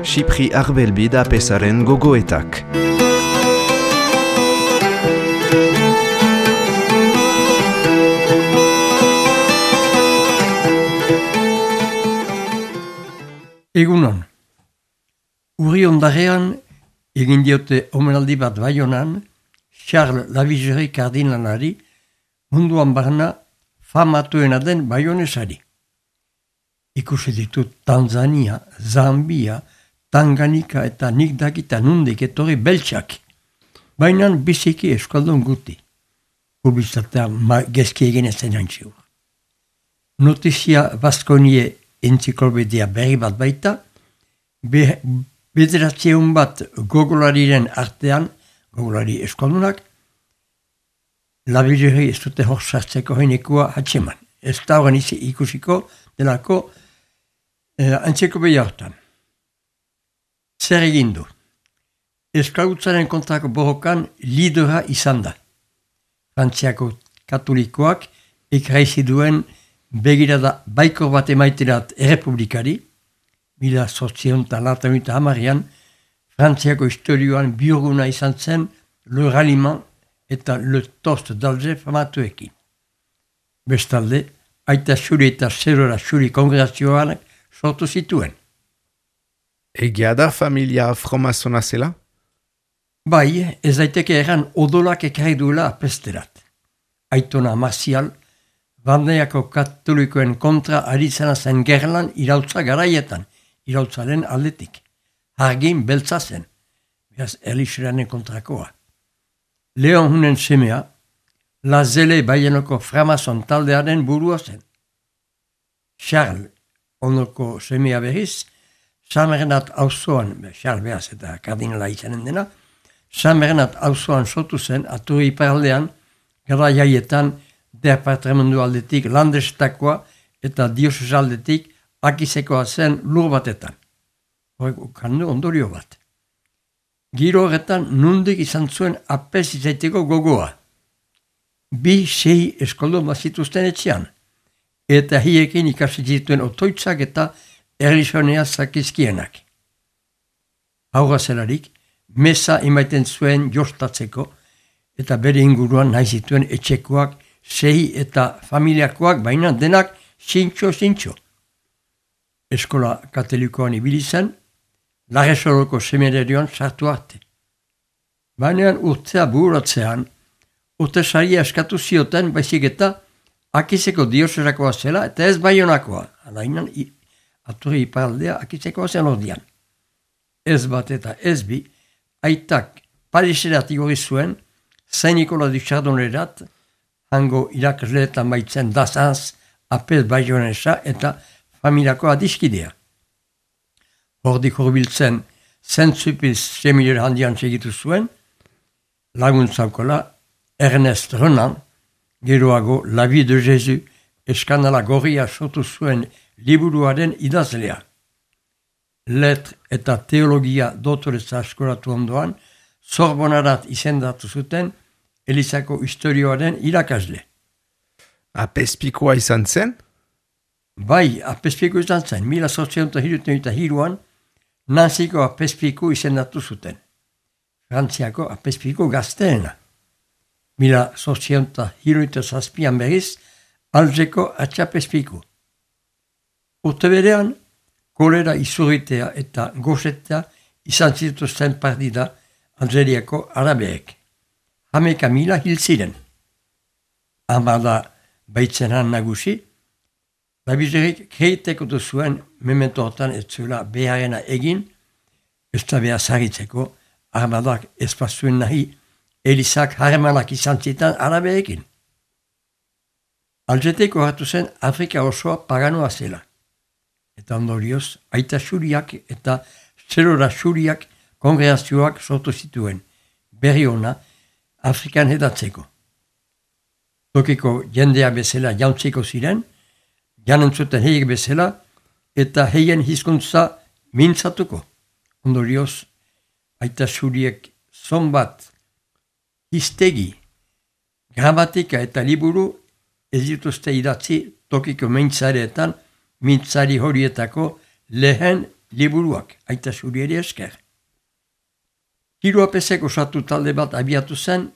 Xipri Arbelbi da pesaren gogoetak. Egunon, urri ondarean egin diote omenaldi bat Baionan, Charles Lavigerie kardinalari munduan barna famatuena den baionesari. Ikusi ditut Tanzania, Zambia, Tanganyika eta nik dakita nundik etorri beltsak. Bainan biziki eskaldun guti. Publizitatean gezki egin ezen antziur. Notizia Baskonie entziklopedia berri bat baita, bederatzeun bat gogolariren artean, gogolari eskaldunak, Lavigerie ez dute hor sartzeko heinekua hatxeman. Ez da horren ikusiko delako entziklopedia hortan. Zer egin du? Esklabutzaren kontrako borrokan lidera izan da. Frantziako katolikoak ekraizi duen begirada baikor bat emaiterat errepublikari, 1880an, Frantziako historioan bioguna izan zen Le Ralliement eta Le Toast d'Alger famatuekin. Bestalde, aita xuri eta zerora xuri kongregazioanak sortu zituen. Egia da familia fromazona zela? Bai, ez daiteke erran odolak ekarri duela apesterat. Aitona Marzial, Bandeako katolikoen kontra aritzena zen gerlan irautza garaietan, irautzaren aldetik. Hargin beltza zen, beraz Erlixeranen kontrakoa. Leon Hunen semea, La Zele Baienoko Framazon taldearen burua zen. Charles, onoko semea berriz, San Bernat auzoan, Charles beraz eta kardinala izanen dena, San Bernat auzoan sortu zen, Aturri iparaldean, gara jaietan, departamentu aldetik landestakoa eta diosez aldetik akizekoa zen lur batetan. Horrek kandu ondorio bat. Giro horretan nundik izan zuen apes izaiteko gogoa. 2-6 eskoldo bazituzten etxean, eta hiekin ikasi zituen otoitzak eta erlizionea zakizkienak. Haura zelarik, mesa emaiten zuen jostatzeko, eta bere inguruan nahi zituen etxekoak 6 eta familiakoak baina denak zintxo. Eskola katolikoan ibili zen, Larresoroko seminarioan sartu arte. Baina urtea buratzean, urte saria eskatu zioten baizik eta akizeko dioserakoa zela eta ez Baionakoa. Alainan Aturri iparaldea akizekoa zen ordian. Ez bat eta ez bi, aitak Pariserat igorri zuen, Saint Nicolas du Chardonnerat, hango irakasleetan baitzen dazanz, apez Baionesa eta familiako adiskidea. Hordik horbiltzen Saint-Sulpice semilera handian segitu zuen, laguntzaukola Ernest Renan, geroago La Vie de Jésus, eskandala gorria sortu zuen liburuaren idazlea. Letre eta teologia doktoretza eskolatu ondoan, Sorbonarat izendatu zuten Elizako historioaren irakasle. Apezpikoa izan zen? Bai, apezpiko izan zen. 1873an Nanziko apezpiko izendatu zuten. Frantziako apezpiko gazteena. 1877an berriz Algeko atxapezpiko. Urte berean, kolera izurritea eta gozetea izan zituzten partida Algeriako arabeek. 11.000 hil ziren. Hamada baitzenan nagusi, Lavigerik kreiteko zuen memento hortan ez zuela beharena egin, ez da behar zarritzeko, armadak espazuen nahi, Elizak harremanak izan zitan arabeekin. Algeteko hartu zen Afrika osoa paganoa zela. Eta ondorioz, aita xuriak eta zerora xuriak kongregazioak sortu zituen, berri ona, Afrikan hedatzeko. Tokiko jendea bezala jauntzeko ziren, janentzuten heiek bezala, eta heien hizkuntza mintzatuko. Ondorioz, aita xuriek zonbat hiztegi, gramatika eta liburu ez dituzte idatzi tokiko meintzareetan mintzari horietako lehen liburuak, aita zurieri esker. Hiru apesek osatu talde bat abiatu zen,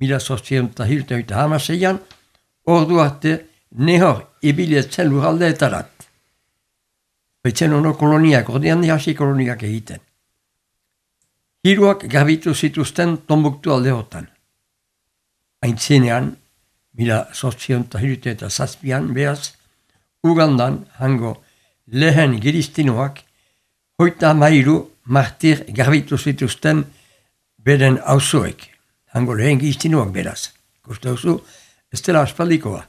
1876an, ordu arte nehor ibilietzen lurraldeetarat. Baitzen ono koloniak, ordean hasi koloniak egiten. Hiruak garbitu zituzten Tombuktu aldeotan. Aintzinean, 1877an, beraz, Ugandan hango lehen giristinoak 33 martir garbitu zituzten beren auzoek. Hango lehen giristinoak beraz. Ikuste duzu, ez dela aspaldikoa.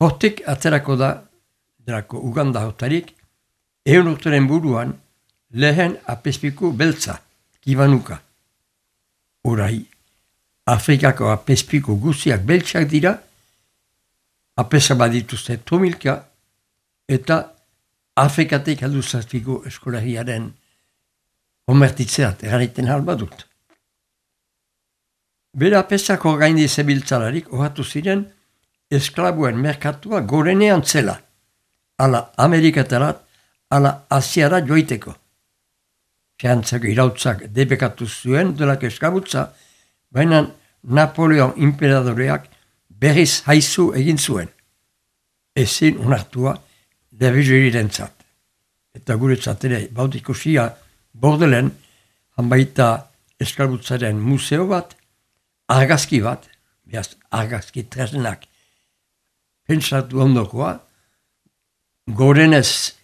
Hortik aterako da, delako Uganda hotarik, 100 urteren buruan lehen apezpiku beltza, kibanuka. Orai, Afrikako apezpiku guziak beltzak dira, apesa badituzte tomilka, eta Afrikatik heldu zazpiku eskolagiaren konvertitzeat erraiten halbadut. Bera apesako gaindi zebiltzalarik ohatu ziren esklabuen merkatua gorenean zela, ala Amerikatarat, ala Asiara joiteko. Frantzako irautzak debekatu zuen delako esklabutza, baina Napoleon imperadoreak berriz haizu egin zuen. Ezin onartua Lavigerirentzat. Eta guretzat ere bautikusia Bordelen, hanbaita esklabutzaren museo bat, argazki bat, behaz argazki tresnak pentsatu ondokoa, gorenez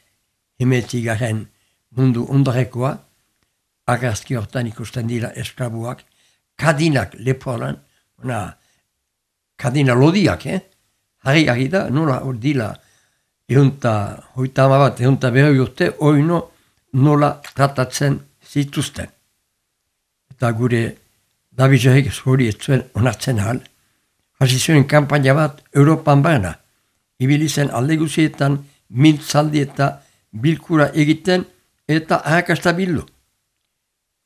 hemetigaren mundu ondarekoa, argazki hortan ikusten dira esklabuak, kadinak leporan, kadina lodiak, harri da, nola hor dila, hoita berroi urte, oino nola tratatzen zituzten. Eta gure Davidsek hori ez zuen onartzen ahal, hasi zuen kanpaina bat Europan barna, ibili zen alde guzietan mintzaldi eta bilkura egiten eta arrakasta bildu.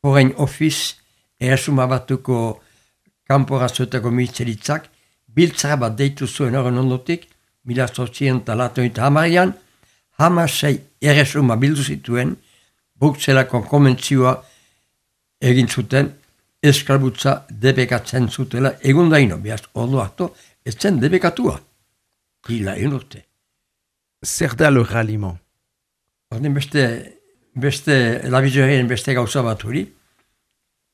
Foreign Office, erasuma batuko kanporazuetako ministeritzak, biltzara bat deitu zuen horren ondotik, 1880an, 16 erresuma bildu zituen, Brukselako konbentzioa egin zuten, esklabutza debekatzen zutela, egun daino, behaz, ordu hartu, ez zen debekatua. Hila, egin urte. Zer da le ralliement? Orden beste Lavigeriren beste gauza bat hori,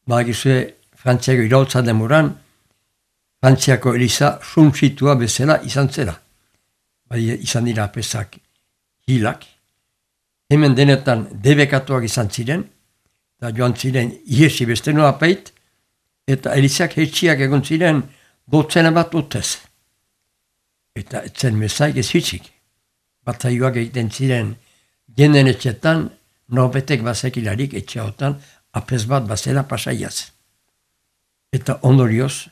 bagizue Frantziako irautza demoran, Frantziako Eliza suntsitua bezala izan zela. Bai, izan dira apesak hilak. Hemen denetan debekatuak izan ziren, eta joan ziren iesi beste noa peit, eta Elizak hetxiak egon ziren dotzena bat utez. Eta etzen mesaik ez hitzik. Bataioak egiten ziren jenden etxetan, norbetek bazekilarik etxeotan, apes bat bazela pasaiaz. Eta ondorioz,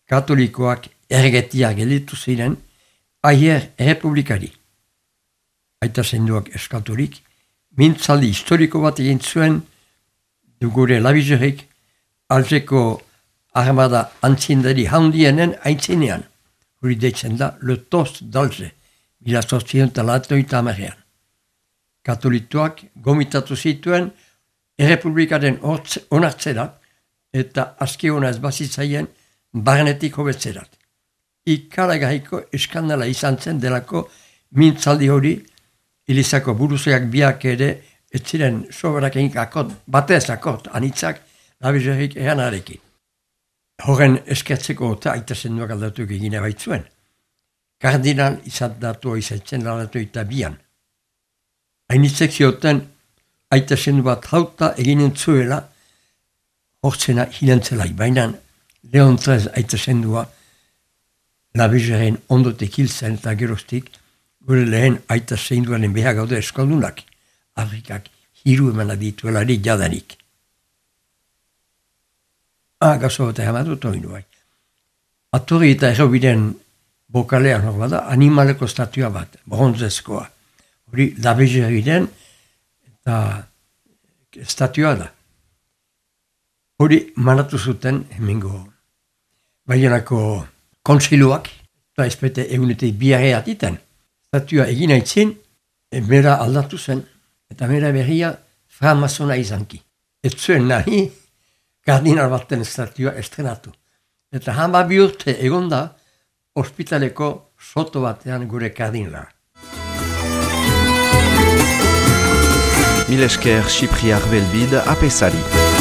katolikoak ergetiak gelditu ziren, aier errepublikari. Aita zenduak eskaturik, mintzaldi historiko bat egin zuen, dugure Lavigerik, Algeko armada antzindari handienen aintzinean. Hori deitzen da, le tost d'Alge, 1880an. Katolituak gomitatu zituen errepublikaren onartzera eta aski ona ez bazitzaien barnetik hobetzerat. Ikaragarriko eskandala izan zen delako mintzaldi hori Elizako buruzeak biak ere ez ziren soberak egin akot, batez akot, anitzak Lavigerik eranarekin. Horren eskertzeko eta aita zenduak aldatu egine baitzuen. Kardinal izan datua izatzen lalatu eta bian. Hainitzek zioten aita zendu bat hauta eginen zuela hortzena hilentzelai. Baina Leon XIII aita zendua Lavigeren ondotek hiltzen eta geroztik gure lehen aita zenduaren behar gaude eskaldunak. Afrikak hiru emana dituelari jadanik. Gazo bat egamatut hori bai. Atorri eta errobiden bokalean hor bada, animaleko estatua bat, bronzezkoa. Hori Lavigeriren eta estatua da. Hori manatu zuten hemengo Baionako kontsiluak, eta espete egunetik biarreat iten. estatua egin aitzin, mera aldatu zen, eta mera berria framasona izanki. Ez zuen nahi, kardinal baten estatua estrenatu. Eta 12 urte egon da, ospitaleko soto batean gure kardinala. Mil esker Chypri Arbelbide apesari.